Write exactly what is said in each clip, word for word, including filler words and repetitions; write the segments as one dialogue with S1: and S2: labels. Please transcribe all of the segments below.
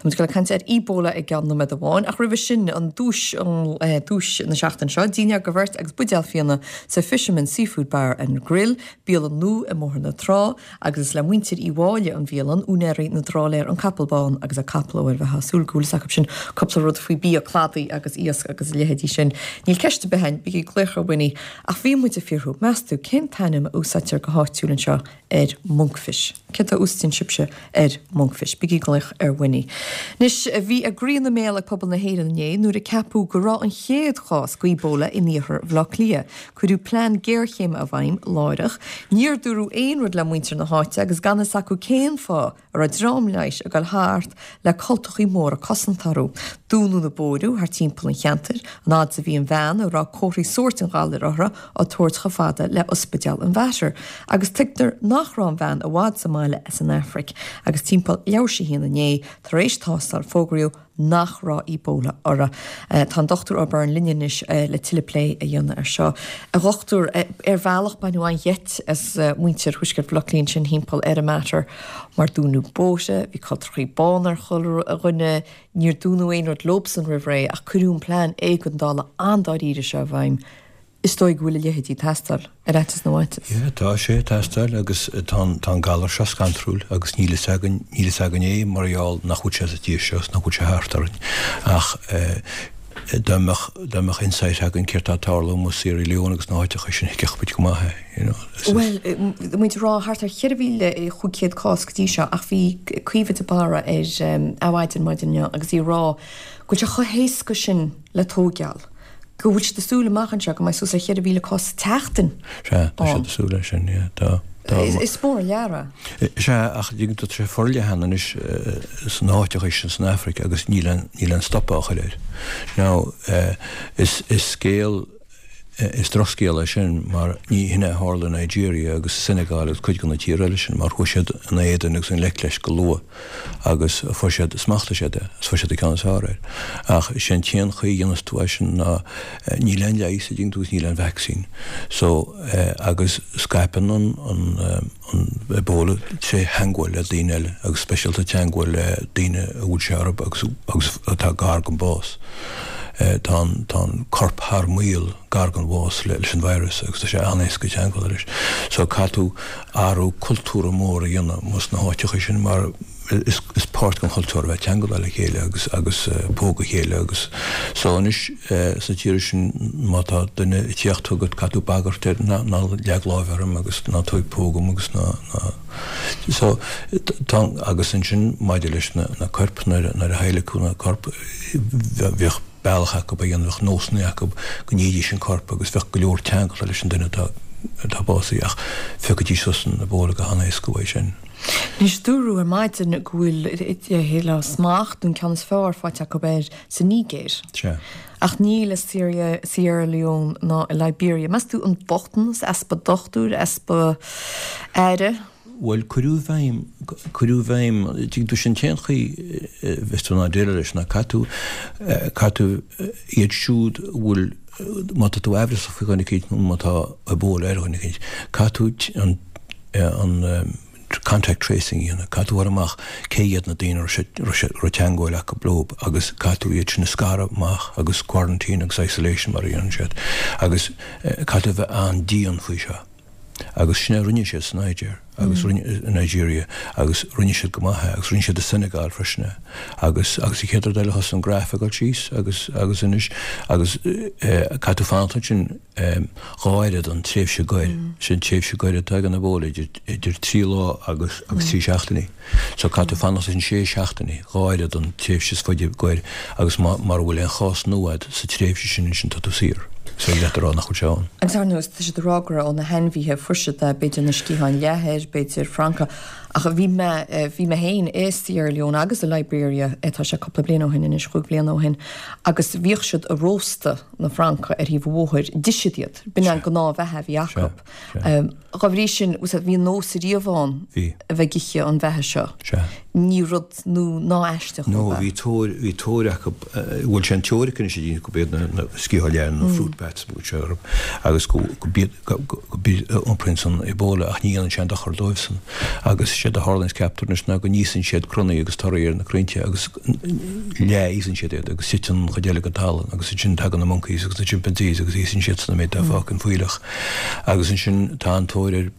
S1: Tá muid ag caint ar Ebola i gceann nóiméad amháin, ach roimhe sin an duais an eh, duais na seachtaine seo, dinnéar do bheirt agus buidéal fíona sa Fisherman Seafood Bar and Grill, bialann nua i mBóthar na Trá, agus is le muintir Uí Mháille an bhialann úinéirí na dtrálaer an Capall Bán agus a capall ó bheith súil gúil acu sin cúpla rud faoi bia cladaigh agus iasc agus a leithéidí sin. Níl ceist behain bí glécha winnie ach bhí muid ag fiafraí meas tú cén t-ainm a úsáidtear go háitiúil anseo ar monkfish. Cé a úsáideann sibhse ar monkfish, bígí ag glaoch ar Winnie. Anois bhí a gcroí ina mbéal ag pobal na hÉireann inné nuair a ceapadh go raibh an chéad chás d'Ebola in iarthar Bhaile Átha Cliath. Cuireadh plean géarchéime i bhfeidhm láithreach, Níor dúradh aon rud le muintir na háite agus gan fhios acu cén fáth a raibh dream leighis ag dul thart le cultachaí móra cosanta orthu. Dúnadh na bóithre thar timpeall an cheantair, an fhad a bhí an bhean a raibh comharthaí sóirt an ghalair uirthi á tabhairt chomh fada le ospidéal an Mhater, agus tuigtear nach raibh an bhean i bhfad sa mbaile as an Afraic, agus timpeall leathuair tar éis a haon inné tar éis tástáil fógraíodh nach raibh Ebola uirthi. Uh, tá an Dr O'Byrne linn anois uh, le tuilleadh plé a dhéanamh ar seo. A dhochtúir uh, ar bhealach baineadh an-gheit as uh, muintir Thuaisceart Bhaile Átha Cliath sin timpeall ar an Mater mar dúnadh bóithre, bhí cultachaí bána ar chuile dhuine, níor dúradh aon rud leobsan roimh ré ach cuireadh an plean éigeandála an-dáiríre seo i bhfeidhm. Is dóigh go bhfuil a leithéidí ag teastáil ar fhaitíos na bhfaitíos.
S2: Yeah, tá sé ag teastáil agus tá tá an galar seo scanrúil agus níl fhios againn níl fhios againn é mar gheall nach bhfuil sé sa tír seo nach bhfuil sé thart orainn ach eh, dá mbeadh dá mbeadh insight againn céard atá ag tarlú i Sierra Leone agus na háiteacha sin thuigfeadh muid go maith é, you know. Is-
S1: Well, muid rá thart ar cheithre mhíle cúig chéad cás go dtí seo ach bhí Caoimhe de Barra ar um, Adhmhaidin maidin inniu agus í ag rá go bhfuil sé chomh héasca sin le tógáil. Go bhfuil siad ag súil amach anseo go mbeidh suas ar cheithre mhíle cás seachtain.
S2: Sea, tá siad ag súil leis sin, yeah, tá tá
S1: Is, is mór leara.
S2: Sea ach tá sé forleathan anois san áiteacha sin san Afraic agus níl an níl an stop á chur air. Now uh, is is scéal is drochscéal é sin mar ní hin a tharla Nigeria agus Senegal agus cuid de na tíortha eile sin mar chuaigh siad in éadan agus i ngleic leis go luath agus fuair siad smacht siad é, fuair siad ceann is fearr air. Ach sin an chaoi a dhéanann tú é sin ná eh, níl aon leigheas a dtugann tú níl aon vaccine. So eh, agus scaipeann an an, eh, an Ebola trí theagmháil le daoine eile agus speisialta teagmháil le daoine a bhfuil sé orthu agus agus atá gar don bhás. Eh, tá an tá an corp thar maoil gar don bhás le leis an virus agus tá sé an-éasca teagmháil leis. So caithfidh tú athrú cultúrtha mór a dhéanamh sna háiteacha sin mar is, is páirt den chultúr bheith teagmháil le chéile agus agus uh, póg a chéile agus so anois uh, sa tír sin má tá duine ag tíocht chugat caithfidh tú bagairt air ná ná leag lámh orm agus ná tóg póg dom agus ná ná so tá agus ansin maidir leis na, na coirp nuair nuair a adhlacadh na coirp bheadh bealach acu a dhéanamh nósanna acu go ndéidís an corp agus bheadh go leor teagmháil leis an duine atá atá básaithe ach phiocfaidís suas an Ebola go han-éasca uaidh sin.
S1: Anois dúradh ar maidin go bhfuil le smacht an ceann is fearr faighte acu air sa Nigéir.
S2: Sea.
S1: Ach níl i Syria, Sierra Leone ná i Liberia. Meas tú an bochtanas easpa dochtúir easpa aire?
S2: Well cuireadh i bhfeidhm cuireadh i bhfeidhm tú sin an chaoi bheith tú ná déile leis ná caithfidh tú caithfidh tú iad siúd bhfuil má tá tú amhrasach faoi dhuine éicint nó má tá Ebola ar dhuine éicint caithfidh tú an an contact tracing dhéanamh caithfidh tú fháil amach cé hiad na daoine raibh teagmháil acu leo agus caithfidh tú iad sin a scaradh amach agus quarantine agus isolation mar a dhéanann siad agus caithfidh tú bheith an-dian faoi seo. agus sin a rinne siad san Niger agus mm. Nigeria agus rinne siad go maith agus rinne siad i Senegal freisin agus agus i chéad eile thosaigh an graf ag síos agus agus anois agus caithfidh tú fanacht sin dhá oiread an tréimhse goir sin tréimhse goir atá ag an Ebola idir idir trí lá agus agus trí seachtainí. So caithfidh tú fanacht sin sé seachtainí dhá oiread an tréimhse is faide goir agus mura bhfuil aon chás nua sa tréimhse sin sin tá tú saor. So le rá nach bhfuil sé ann.
S1: Agus ar nós tá siad ag rá gur ó na hainmhithe fuair siad b'fhéidir na sciatháin leathair, b'fhéidir francaigh ach bhí mé bhí mé féin i Sierra Leone agus i Liberia tá sé cúpla bliain ó shin anois chúig bliana ó shin agus bhíodh siad ag róstadh na francaigh ar thaobh an bhóthair d'ith siad iad b'in an gnáthbheatha a bhí acu. Dá bhrí sin bhí nós riamh ann a bheith ag ithe an bheatha seo. Ní rud nó ná aisteach
S2: No bhí tóir bhí tóir acu bhfuil sé an teoiric anois a go b'iad na sciatháin leathair na fruit bats sé agus go go iompraíonn san Ebola ach ní dhéanann sé dochar dóibhsan agus Séard a tharlaíonns ceaptar anois ná go n-íosann siad crannaí agus torthaí ar na crainnte agus leath-íosann siad iad agus titeann an chuid eile go talamh agus ansin tagann na monkeys agus na chimpanzees agus íosann siadsan an méid atá fágtha an fuílleach agus ansin tá an-tóir ar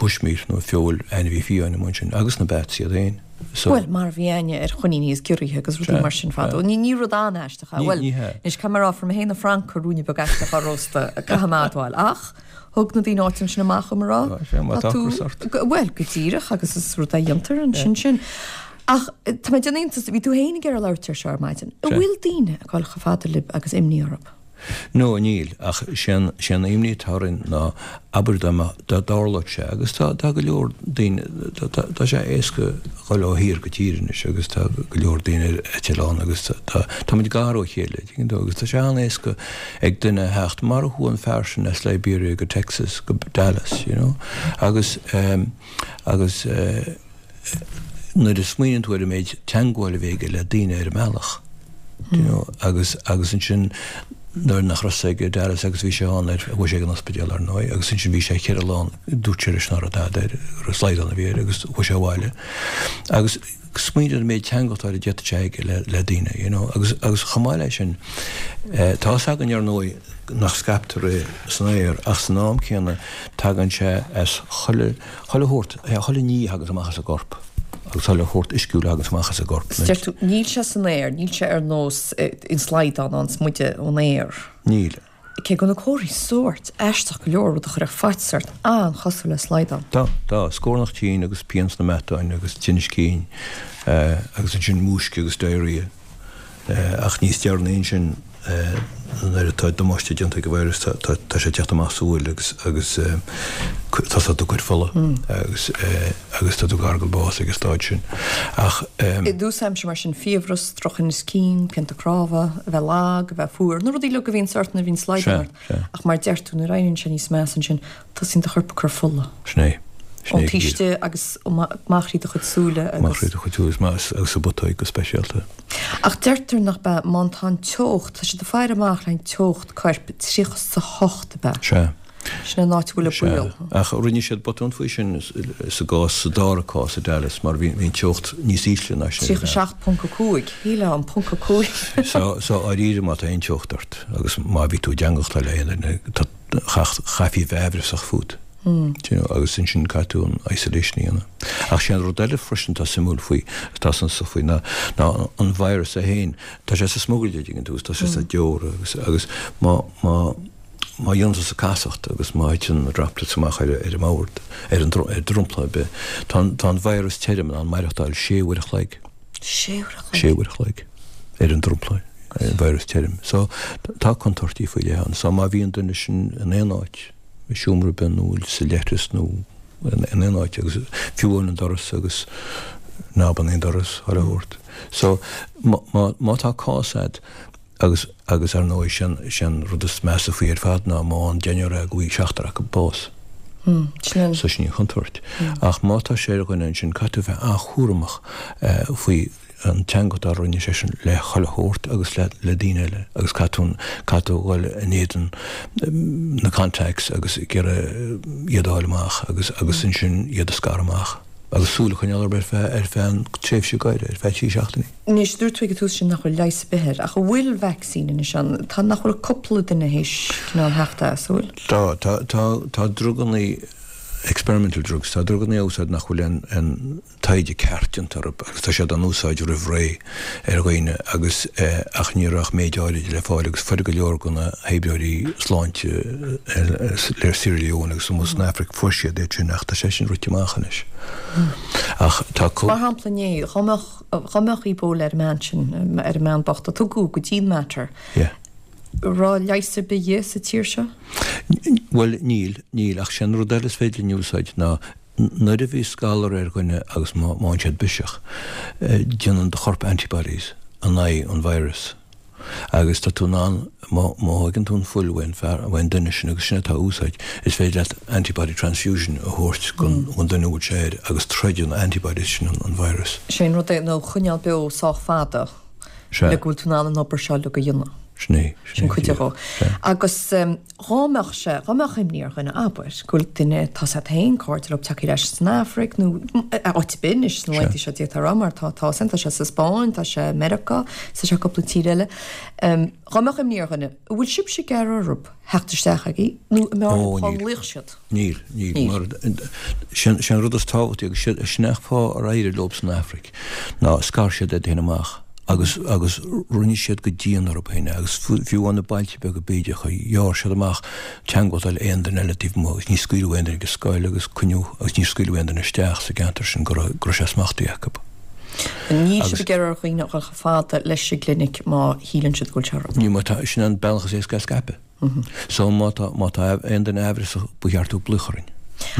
S2: bushmeat nó feoil ainmhí fiáin amuigh ansin agus na bats iad féin.
S1: So, Bhuel, mar a bhí aithne ar choiníní is giorriacha agus rudaí mar sin fadó. Ní ní rud an-aisteach é. Bhuel, anois caithfidh mé a rá fuair mé féin na francaigh ruainne beag aisteach á róstadh, caithfidh mé a admháil. Ach thug na daoine áitiúla sin amach dom a rá, tá tú, bhuel, go díreach agus is rud é a dhéantar ansin sin. Ach tá mé ag déanamh iontais, bhí tú féin ag iarraidh labhairt air seo ar maidin. An bhfuil daoine ag dul chomh fada libh agus imní orthu?
S2: No, níl, ach sé an, sé an imní atá orainn ná, abair dá mbeadh, dá dtarlódh sé, agus tá, tá go leor daoine, tá, tá, tá sé éasca dhul ó thír go tír anois agus tá go leor daoine ar eitleán agus tá, tá, táimid gar ó chéile, tuigeann tú, agus tá sé an-éasca ag duine a theacht, mar a chuaigh an fear sin as Liberia go Texas, go Dallas, you know, agus eh, agus eh, nuair a smaoiníonn tú ar an méid teangmháil a bhí aige le daoine ar an mbealach, do you know, agus, agus ansin nuair nach raibh sé ag Dallas agus bhí sé ann ar, chuaigh sé ag an ospidéal ar ndóigh, agus ansin bhí sé ceithre lá ann, dúirt sé leis nach raibh tada air, go raibh slaghdán a bhí air agus chuaigh sé abhaile. Agus smaoinigh ar an méid teangmháil a d'fhéadfadh sé aige le, le daoine, you know, agus, agus chomh maith leis sin, eh, tá fhios againn ar ndóigh nach scaiptear é san aer ach san am céanna tagann sé as chuile, chuile shórt, chuile ní a thaganns amach as an gcorp. Agus chuile shórt uisciúil a thaganns amach as an gcorp.
S1: Deir tú, níl sé san aer, níl sé ar nós an slaghdán a fhaigheanns muide ón aer.
S2: Níl.
S1: Cé go bhfuil na comharthaí sórt aisteach go leor, rud a chuirfeadh faitíos ort, an-chosúil le slaghdán.
S2: Tá, tá. Scornach tinn agus pian sna meatáin agus tinneas cinn agus ansin múisce agus diarrhea. Ach níos deireanaí ansin, nuair atá damáiste déanta ag an virus, tá sé ag teacht amach sa bhfuil agus agus tosóidh tú ag cur fola agus agus tá tú gar don bás ag an stáid sin. Ach.
S1: I dtús aimsire mar sin, fiabhras, drochthinneas cinn, pianta cnámha, a bheith lag, a bheith fuar, na rudaí uilig a bhíonn ort nuair a bhíonn slaghdán ort. Ach mar a deir tú, nuair a éiríonn sé níos measa ansin, tosaíonn do chorp ag cur fola.
S2: Sin é.
S1: Ón taobh istigh agus amach thríd do chuid súile agus.
S2: Amach thríd do chuid súile agus sa bputóig go speisialta.
S1: Ach deirtear nach bea, má tá an teocht, tá siad ag faire amach le an teocht coirp tríocha is a hocht ab ea?
S2: Sea.
S1: Sin an áit a bhfuil an baol.
S2: Sea. Ach rinne siad botún faoi sin sa gcás, sa dara cás i Dallas mar bhí an teocht níos ísle ná sin.
S1: Tríocha seacht ponc a cúig. Shílfeá an ponc a cúig.
S2: So, so dháiríre má tá aon teocht ort agus má bhí tú i dteangmháil le aon duine, tá, chaithfí a bheith aimhreasach fút. Do you know, agus ansin caithfidh tú an isolation a dhéanamh. Ach sé an rud eile freisin atá suimiúil faoi, atá suntasach faoi, ná, ná an virus é féin, tá sé sa smugairle, an dtuigeann tú, agus tá sé sna deora agus, agus má, má, má dhéanann tusa casacht agus má thiteann na droplets amach ar, ar an mbord, ar an, ar dromchla ar bith, tá an, tá an virus tirim in ann maireachtáil sé uair a chloig.
S1: Sé uair a chloig?
S2: Sé uair a chloig ar an dromchla, ar an virus tirim. So, tá contúirtí faoi leith ann. So má bhíonn duine sin in aon áit, i seomra ar bith nó sa leithreas nó in aon áit agus fiú amháin an doras agus ná bain aon doras chuile shórt. So má, má, má tá cás a'd agus, agus ar ndóigh sin, sin rud is measa faoi ar fad ná má fhaigheann deichniúr é go bhfaighidh seachtar acu bás.
S1: Mm, sin an.
S2: So sin an chontúirt. Ach má tá sé ar dhuine ansin caithfidh tú bheith an-chúramach faoi an teangmháil a rinne seisean le chuile shórt agus le le daoine eile agus caithfidh tú caithfidh tú dhul in éadan na contacts agus ag iarraidh iad a fháil amach agus agus ansin iad a scaradh amach agus súil a choinneáil orthu ar feadh ar feadh an tréimhse gaire, ar feadh trí seachtainí.
S1: Anois, dúirt tú ag an tús sin nach bhfuil leigheas ar bith air, ach an bhfuil vacsaín anois ann? Tá, nach bhfuil cúpla duine théis cineál theacht as, an bhfuil?
S2: Tá, tá, tá, tá drugannaí, experimental drugs, tá drugannaí á úsáid nach bhfuil aon, aon, taighde ceart déanta orthu agus tá siad á n-úsáid roimh ré ar dhaoine agus ach ní raibh ach méid áirid le fáil agus fuair go leor de na hoibreoirí sláinte le Sierra Leone agus amuigh san Afraic fuair siad iad sin ach tá sé sin rite amach anois. Ach tá
S1: Mar shampla inné, dhá mbeadh dhá mbeadh Ebola ar an mbean sin, ar an mbean bocht a tugadh go dtí an Mater,
S2: Yeah.
S1: raibh leigheas ar bith di sa tír seo?
S2: Bhuel níl, níl ach sé an rud eile is féidir linn a úsáid ná Nuair a bhíos galar ar dhuine agus má fhaigheann siad biseach, déanann do chorp antibodies in aghaidh an virus agus tá tú in ann, má thóigeann tú an fuil uaidh an fear, uaidh an duine sin agus sin atá á úsáid, is féidir leat antibody transfusion a thabhairt don duine a bhfuil sé air agus troideann na antibodies sin an virus.
S1: Sé an rud é nó a choinneáil beo sách fada
S2: Sea.
S1: le go bhfuil tú in ann an obair seo uilig a dhéanamh.
S2: Sin é,
S1: Sin cuid de. Agus dhá mbeadh sé, dhá mbeadh imní ar dhuine, abair, go bhfuil duine, tá a fhios agat féin, cairde leo tagtha ar ais san Afraic nó áit ar bith anois sna laethanta seo d'fhéadfá a rá mar tá tá tá sé sa Spáinn, tá sé i Meiriceá, tá sé cúpla tír eile. Dhá mbeadh imní ar dhuine, an bhfuil sibhse ag iarraidh orthu theacht isteach agaibh nó an mbeadh orthu cá nglaofadh siad?
S2: Níl, níl, mar sin an rud is tábhachtaí agus sin an fáth ar éirigh leo san Afraic ná scar siad iad féin amach. agus agus rinne siad go dian orthu féin agus fiú amháin na bailte beaga bídeacha, ghearr siad amach teagmháil le aon duine eile taobh amuigh agus ní scaoileadh aon duine go scoil agus coinníodh agus ní scaoileadh aon duine isteach sa gceantar sin go raibh go raibh sé smachtaithe acu.
S1: Níl siad ag iarraidh ar dhaoine a dhul chomh fada leis an gclinic má shíleann siad go bhfuil sé orthu.
S2: Ní má tá, sin an bealach is éasca a scaipeadh. So má tá má tá aon duine aimhreasach ba cheart dó glaoch orainn.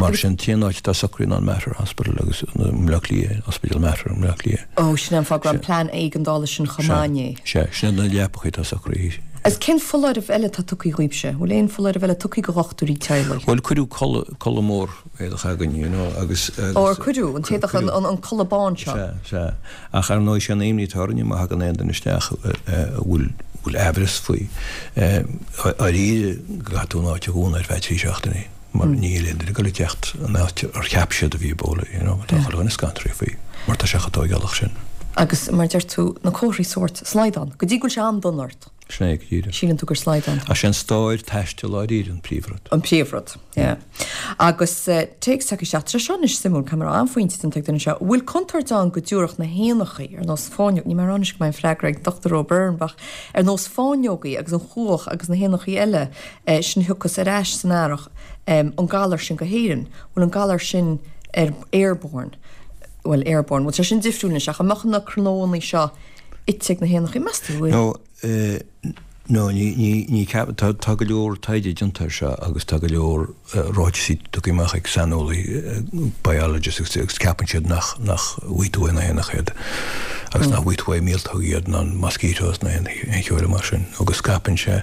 S2: Mar sin t-aon áit atá socraithe ná an Mater Hospital agus i mBleá Cliath, Ospidéal Mater i mBleá Cliath.
S1: Ó, sin é an fáth go raibh an plean éigeandála sin chomh maith inné.
S2: Sea, sin iad na leapacha atá socraithe.
S1: Agus cén foláireamh eile atá tugtha dhaoibhse? Bhfuil aon foláireamh eile tugtha do dhochtúirí teaghlaigh?
S2: Bhuel, cuireadh culaith, culaith mór éadach againn, you know, agus, agus.
S1: Ó, ar cuireadh? An t-éadach, an, an culaith bán seo?
S2: Sea, sea. Ach ar ndóigh, sé an imní atá orainne má thagann aon duine isteach a bhfuil, bhfuil aimhreas faoi, dáiríre go gcaithfidh tú an áit a dhúnadh ar feadh trí seachtainí. Mar níl aon duine ag dul ag teacht an áit ar cheap siad a bhí Ebola, you know, tá chuile dhuine scanraithe faoi, mar tá sé chomh tóigeálach sin.
S1: Agus mar a deir tú, na comharthaí sóirt, slaghdán, go dtí go bhfuil sé an-dona ort.
S2: Sin é go díreach.
S1: Síleann tú gur slaghdán
S2: atá. Ach sé an stair taistil dáiríre an príomhrud.
S1: An príomhrud, yeah. Agus téacs tagtha isteach, tá sé seo anois suimiúil, caithfidh mé a rá, an-phointe déanta ag duine seo, an bhfuil contúirt ann go dtabharfadh na héanachaí, ar nós fáinleog, níl mé ag rá anois go mbeidh an freagra ag Dochtúir O'Byrne, ach ar nós fáinleogaí agus an chuach agus na héanachaí eile sin a thiocfas ar ais san earrach, an galar sin go hÉirinn, bhfuil an galar sin ar airborne, bhuel airborne, bhfuil sé sin difriúil anois ach an mbeadh na cnónna seo ite ag na héanachaí, meas tú, bhfuil?
S2: No, no, ní, ní, ní ceap, tá, tá go leor taighde déanta air seo agus tá go leor ráitisí tugtha amach ag saineolaí, biologists agus, agus ceapann siad nach, nach bhfaighidh tú ó na héanacha iad agus nach bhfaighidh tú ó mhíoltóga iad ná mosquitoes ná aon cheo eile mar sin agus scaipeann sé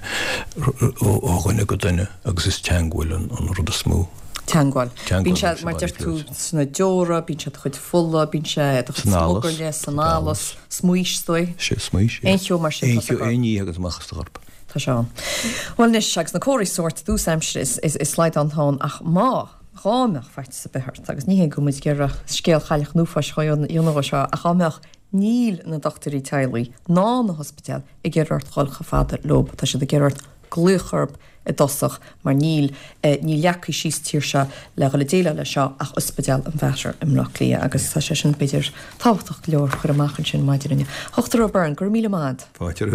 S2: ó, ó dhuine go duine. Agus is teangmháil an rud is mó.
S1: Teangmháil. Bíonn sé, mar deir tú, sna deora, bíonn sé i do chuid fola, bíonn sé i do chuid smugairle, san allas, smaois, is dóigh.
S2: Sea, smaois,
S1: yeah. Aon cheo mar sin, tá sé
S2: Aon ní a thagann amach as do chorp.
S1: Tá sé ann. Bhuel anois, agus na comharthaí sóirt i dtús aimsire, is slaghdán atá ann, ach má, dhá mbeadh faitíos ar bith ort, agus ní hé go bhfuil muid ag iarraidh scéal Chailleach an Uafáis a dhéanamh de seo, ach dá mbeadh, níl na dochtúirí teaghlaigh ná na hospidéil ag iarraidh ort dhul chomh fada leo, tá siad ag iarraidh ort glaoch orthu i dtosach mar níl, níl leagtha síos sa tír seo le dhul ag déileáil leis seo ach Ospidéal an Mhater i mBleá Cliath agus tá sé sin b'fhéidir tábhachtach go leor a chur amach ansin maidin inniu. A Dhochtúir O'Byrne, go raibh míle maith agat.
S2: Fáilte romhat.